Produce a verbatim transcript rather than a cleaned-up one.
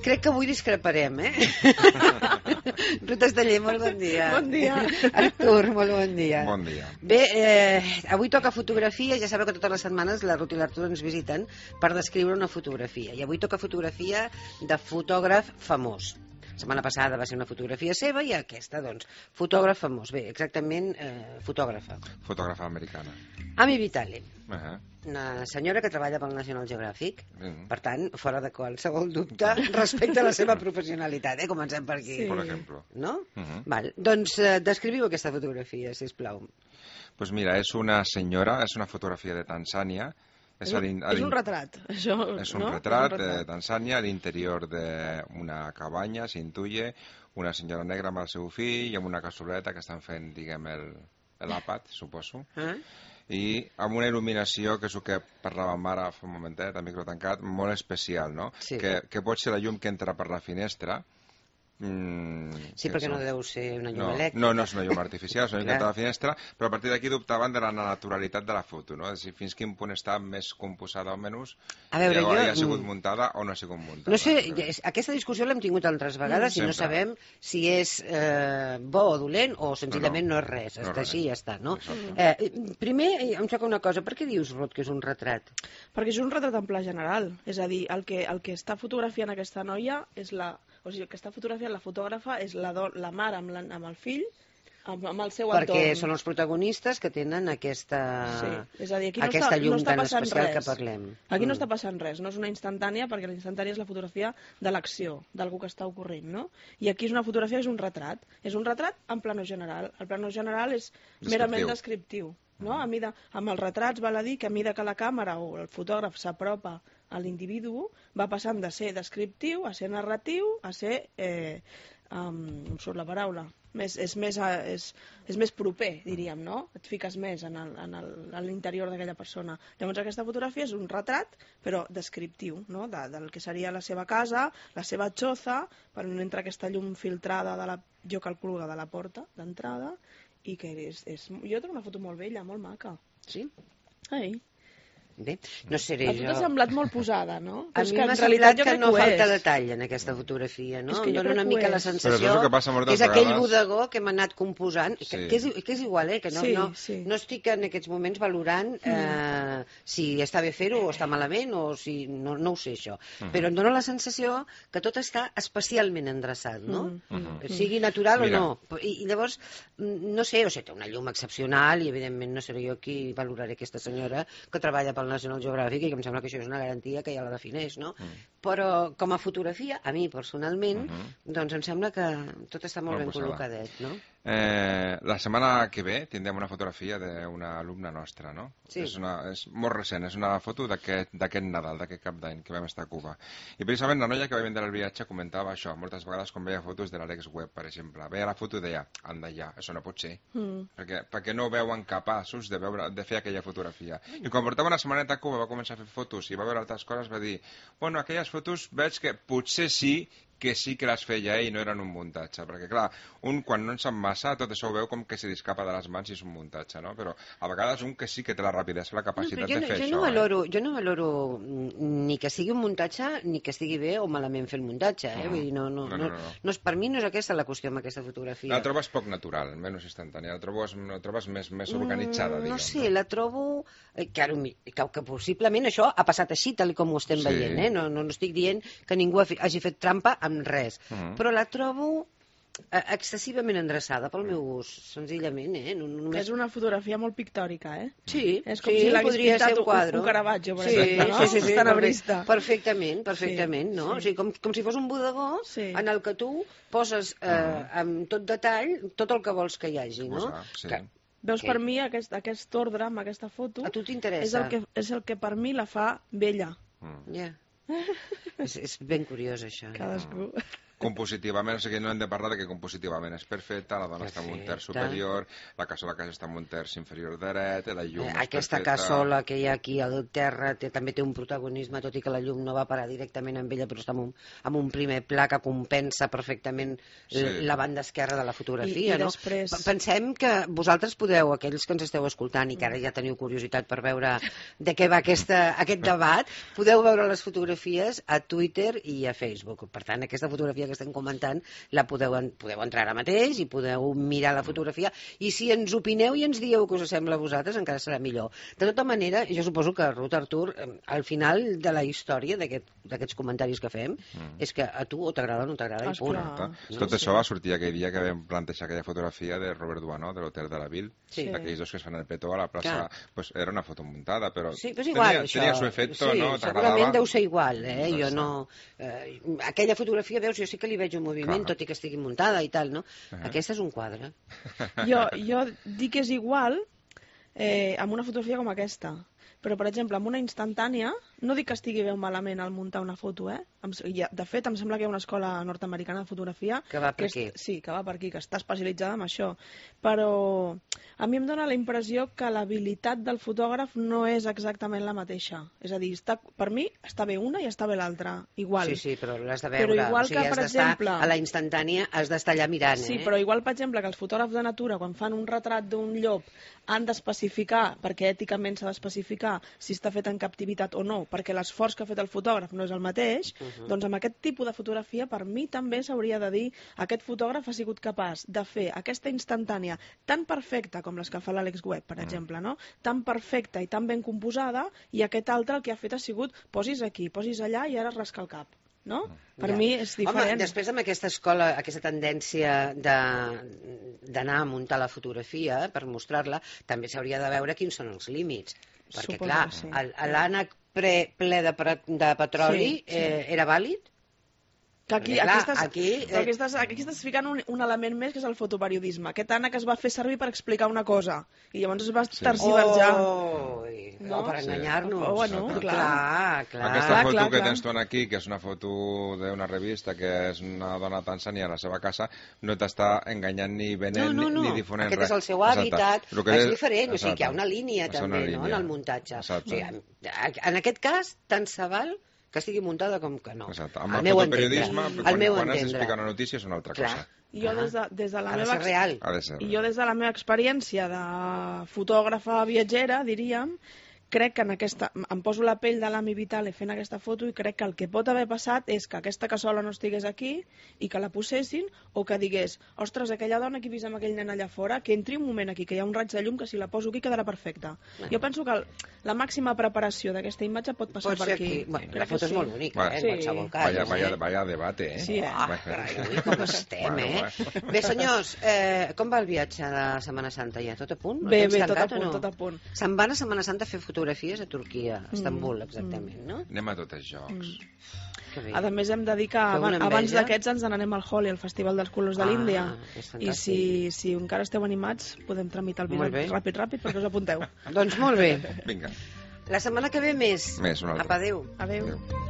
crec que avui discreparem, eh? Ruth Esteller, molt bon dia. Bon dia. Artur, molt bon dia. Bon dia. Bé, eh, avui toca fotografia, ja sabeu que totes les setmanes la Ruth i l'Artur ens visiten per descriure una fotografia. I avui toca fotografia de fotògraf famós. La setmana passada va ser una fotografia seva i aquesta, doncs, fotògraf famós. Bé, exactament, eh, fotògrafa. Fotògrafa americana. Ami Vitale. Uh -huh. Una senyora que treballa pel National Geographic, Mm. per tant, fora de qualsevol dubte respecte a la seva professionalitat, eh? Comencem per aquí. Sí. Per exemple. No? Uh -huh. Val. Doncs eh, descriviu aquesta fotografia, sisplau. Pues mira, és una senyora, és una fotografia de Tanzània. És un, és un retrat, això, És un no? retrat de Tanzània, a l'interior d'una cabanya, s'intuye, una senyora negra amb el seu fill i amb una cassoleta que estan fent, diguem, el l'àpat, suposo. Eh? I amb una il·luminació, que és el que parlàvem ara fa un momentet, a micro tancat, molt especial, no? Sí. Que, que pot ser la llum que entra per la finestra. Mm, Sí, perquè no deu ser una llum no, elèctrica. no, no és una llum artificial, és una llum que Clar. entra a la finestra, però a partir d'aquí dubtaven de la naturalitat de la foto, no? És a dir, fins quin punt està més composada o menys, A veure, i jo- ha sigut muntada o no ha sigut muntada. No sé, és- aquesta discussió l'hem tingut altres vegades Mm, i no sempre. sabem si és eh, bo o dolent o senzillament no, No, no. és res, No està és res. així i ja està, no? Exacte. Eh, primer, eh, em xoca una cosa, per què dius, Ruth, que és un retrat? Perquè és un retrat en pla general. És a dir, el que, el que està fotografiant aquesta noia és la... O sigui, el que està fotografiant la fotògrafa és la, do, la mare amb, la, amb el fill, amb, amb el seu Perquè entorn. són els protagonistes que tenen aquesta, Sí, és a dir, aquí no aquesta està, llum no està tan passant especial res. que parlem. Aquí no Mm. està passant res, no és una instantània, perquè la instantània és la fotografia de l'acció, d'algú que està ocorrent, no? I aquí és una fotografia, és un retrat. És un retrat en plano general. El plano general és merament descriptiu. No? A mida, amb els retrats val a dir que a mida que la càmera o el fotògraf s'apropa a l'individu, va passant de ser descriptiu a ser narratiu a ser, eh, um, em surt la paraula, més, és, més, a- és, és més proper, diríem, no? Et fiques més en el- en el- en l'interior d'aquella persona. Llavors aquesta fotografia és un retrat, però descriptiu, no? De, del que seria la seva casa, la seva xoza, per on entra aquesta llum filtrada, de la, jo calculo que de la porta d'entrada, i que és, és... Jo trobo una foto molt bella, molt maca. Sí? Ai. Bé, no seré A tu jo... t'ha semblat molt posada, no? A Però és mi que m'ha en realitat semblat jo que crec no ho falta és. detall en aquesta fotografia, no? És que Em jo dóna crec una que ho mica la és. Però sensació això és el que passa moltes que és aquell vegades. bodegó que hem anat composant, que, Sí. que, és, que és igual, eh? Que no, Sí, no, sí. no estic en aquests moments valorant eh, si està bé fer-ho o està malament o si... No, no ho sé, això. Mhm. Però em dóna la sensació que tot està especialment endreçat, no? Mhm. Sigui natural Mira. o no. I, i llavors, mm, no sé, o sigui, té una llum excepcional i evidentment no seré jo qui valoraré aquesta senyora que treballa pel National Geographic i que em sembla que això és una garantia que ja la defineix, no? Però com a fotografia, a mi personalment, Mhm. doncs em sembla que tot està molt Molt ben posada. col·locadet, no? Eh, la setmana que ve tindrem una fotografia d'una alumna nostra, no? Sí. És, una, és molt recent, és una foto d'aquest d'aquest Nadal, d'aquest cap d'any que vam estar a Cuba. I precisament la noia que va vendre el viatge comentava això, moltes vegades quan veia fotos de l'Alex Web, per exemple. Veia la foto i deia, anda ja, això no pot ser. Mm. Perquè, perquè no veuen capaços de, veure, de fer aquella fotografia. I quan portava una setmaneta a Cuba va començar a fer fotos i va veure altres coses, va dir, bueno, aquelles fotos veig que potser sí que sí que les feia ell i no eren un muntatge, perquè clar, un quan no en sap massa tot això ho veu com que se li escapa de les mans i és un muntatge, no? Però a vegades un que sí que té la rapidesa, la No, capacitat però jo, de fer jo, això. no valoro, jo no valoro mm, ni que sigui un muntatge ni que estigui bé o malament fer el muntatge, eh? Mm. Vull dir, no, no, No, no, no, no, no. no és, per mi no és aquesta la qüestió amb aquesta Eh? fotografia. La trobes poc natural, menys instantània, la trobes, la trobes més, més organitzada, Mm, diguem. No sé, la trobo... eh, Que, ara, mi- que, que possiblement això ha passat així, tal com ho estem Sí. veient, eh? No, no, no estic dient que ningú ha fi- hagi fet trampa amb res, Mhm. però la trobo eh, excessivament endreçada pel meu gust, senzillament, eh? No, només... És una fotografia molt pictòrica, eh? Sí, És com sí, si l'hagués podria pintat ser un un- quadre. un Caravaggio, per sí, exemple, no? Sí, sí, sí, Tenebrista. perfecte, perfectament, perfectament, Sí, no? sí. O sigui, com, com si fos un bodegó Sí. en el que tu poses eh, amb tot detall tot el que vols que hi hagi, no? Posar, sí. Que Veus, Que- per mi, aquest, aquest ordre amb aquesta foto a tu és t'interessa. el, que, és el que per mi la fa bella. Mm. Ja. és, és ben curiós, això. Eh? Cadascú. compositivament, o sigui, no hem de parlar de que compositivament és perfecta, la dona està en un terç superior, la cassola que està en un terç inferior dret, la llum és Aquesta perfecta. cassola que hi ha aquí al terra té, també té un protagonisme, tot i que la llum no va parar directament amb ella, però està en un, en un primer pla que compensa perfectament sí. la banda esquerra de la fotografia. I, i no? després... Pensem que vosaltres podeu, aquells que ens esteu escoltant i que ara ja teniu curiositat per veure de què va aquesta, aquest debat, podeu veure les fotografies a Twitter i a Facebook. Per tant, aquesta fotografia que estem comentant la podeu, podeu entrar ara mateix i podeu mirar la fotografia, i si ens opineu i ens dieu que us sembla a vosaltres encara serà millor. De tota manera, jo suposo que Ruth, Artur, al final de la història d'aquests aquest, comentaris que fem mm. és que a tu o t'agrada o no t'agrada i punt. No? Tot sí. això va sortir aquell dia que vam plantejar aquella fotografia de Robert Duanó, de l'Hotel de la Ville, sí. aquells dos que es fan el petó a la plaça, pues era una foto muntada, però, sí, però igual, tenia, tenia su efecto, sí, no? Segurament deu ser igual, eh? Jo no... Eh, aquella fotografia, veus, jo sí que li veig un moviment, Clar. tot i que estigui muntada i tal, no? Uh -huh. Aquesta és un quadre. Jo, jo dic que és igual eh, amb una fotografia com aquesta, però, per exemple, amb una instantània, no dic que estigui bé o malament al muntar una foto, eh? De fet, em sembla que hi ha una escola nord-americana de fotografia... Que va per que aquí. És, sí, que va per aquí, que està especialitzada en això. Però a mi em dóna la impressió que l'habilitat del fotògraf no és exactament la mateixa. És a dir, està, per mi està bé una i està bé l'altra, igual. Sí, sí, però l'has de veure. Però igual o sigui, que, per exemple... A la instantània has d'estar allà mirant, sí, eh? Sí, però igual, per exemple, que els fotògrafs de natura, quan fan un retrat d'un llop, han d'especificar, perquè èticament s'ha d'especificar si està fet en captivitat o no, perquè l'esforç que ha fet el fotògraf no és el mateix, uh -huh. doncs amb aquest tipus de fotografia, per mi també s'hauria de dir aquest fotògraf ha sigut capaç de fer aquesta instantània tan perfecta com les que fa l'Àlex Webb, per exemple, no? Tan perfecta i tan ben composada, i aquest altre el que ha fet ha sigut posis aquí, posis allà i ara rasca el cap. No? Per ja. mi és diferent. Home, després amb aquesta escola, aquesta tendència d'anar a muntar la fotografia per mostrar-la, també s'hauria de veure quins són els límits. Perquè, Suposo clar, sí. l'ànec ple, ple de, de petroli sí, sí. Eh, era vàlid? Que aquí, clar, aquí, estàs, aquí, eh... aquí, estàs, aquí estàs ficant un, un element més, que és el fotoperiodisme. Aquest ànec es va fer servir per explicar una cosa i llavors es va sí. terciversar. Oh, no? Per enganyar-nos. Sí. Oh, bueno, clar. clar, clar. Aquesta clar, foto clar, que clar. tens tu aquí, que és una foto d'una revista, que és una dona tanzania a la seva casa, no t'està enganyant ni venent no, no, no. ni difonent Aquest res. és el seu hàbitat, és, és diferent, exacte. O sigui que hi ha una línia és també, una línia. no?, en el muntatge. Exacte. O sigui, en aquest cas, tant se val que estigui muntada com que no. Exacte. Amb el el fotoperiodisme, quan, meu quan has entendre. d'explicar una notícia és una altra Clar. cosa. Jo des de, des de la ha de meva ser real. Ha de ser real. I jo des de la meva experiència de fotògrafa viatgera, diríem, crec que en aquesta, em poso la pell de l'Ami Vitale fent aquesta foto i crec que el que pot haver passat és que aquesta cassola no estigués aquí i que la posessin, o que digués, ostres, aquella dona que he vist amb aquell nen allà fora, que entri un moment aquí, que hi ha un raig de llum que si la poso aquí quedarà perfecta. No. Jo penso que el, la màxima preparació d'aquesta imatge pot passar pot per aquí. aquí. Bueno, la foto sí. és molt bonica, bueno, eh, sí. en qualsevol cas. Vaya, vaya, eh? vaya debate, eh? Sí, eh? Ah, carai, ui, com estem, bueno, eh? bueno. Bé, senyors, eh, com va el viatge de Setmana Santa ja? Tot a punt? Bé, bé, tot a punt, no? tot a punt. Se'n van a Setmana Santa a fer fotografies a Turquia, a Istanbul, exactament, no? Anem a tots els jocs. Mm. A més, hem de dir que abans, abans d'aquests ens n'anem al Holi, al Festival dels Colors de l'Índia. Ah, I si, si encara esteu animats, podem tramitar el bitllet ràpid, ràpid, perquè us apunteu. Doncs molt bé. Vinga. La setmana que ve més. Més, una altra. Apa, adéu. Adéu. Adéu.